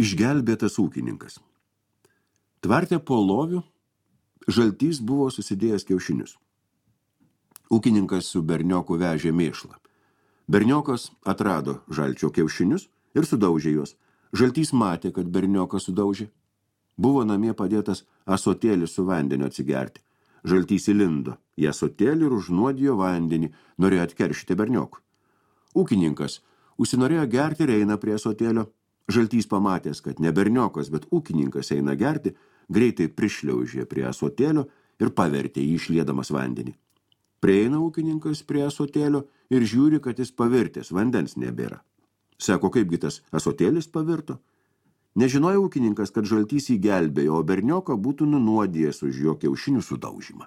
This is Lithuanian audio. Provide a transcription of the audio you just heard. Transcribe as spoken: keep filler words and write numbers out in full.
Išgelbėtas ūkininkas. Tvarte po loviu žaltys buvo susidėjęs kiaušinius. Ūkininkas su bernioku vežė mėšlą. Berniokas atrado žalčio kiaušinius ir sudaužė juos. Žaltys matė, kad berniokas sudaužė. Buvo namie padėtas asotėlis su vandeniu atsigerti. Žaltys įlindo į asotėlį ir užnuodijo vandenį, norėjo atkeršyti berniokui. Ūkininkas užsinorėjo gerti ir eina prie asotėlio. Žaltys pamatęs, kad ne berniokas, bet ūkininkas eina gerti, greitai prišliaužė prie asotėlio ir pavertė jį išliedamas vandenį. Prieina ūkininkas prie asotėlio ir žiūri, kad jis pavirtęs, vandens nebėra. Sako, kaipgi tas asotėlis pavirto? Nežinojo ūkininkas, kad žaltys jį gelbėjo, o bernioką būtų nunuodijęs už jo kiaušinių sudaužymą.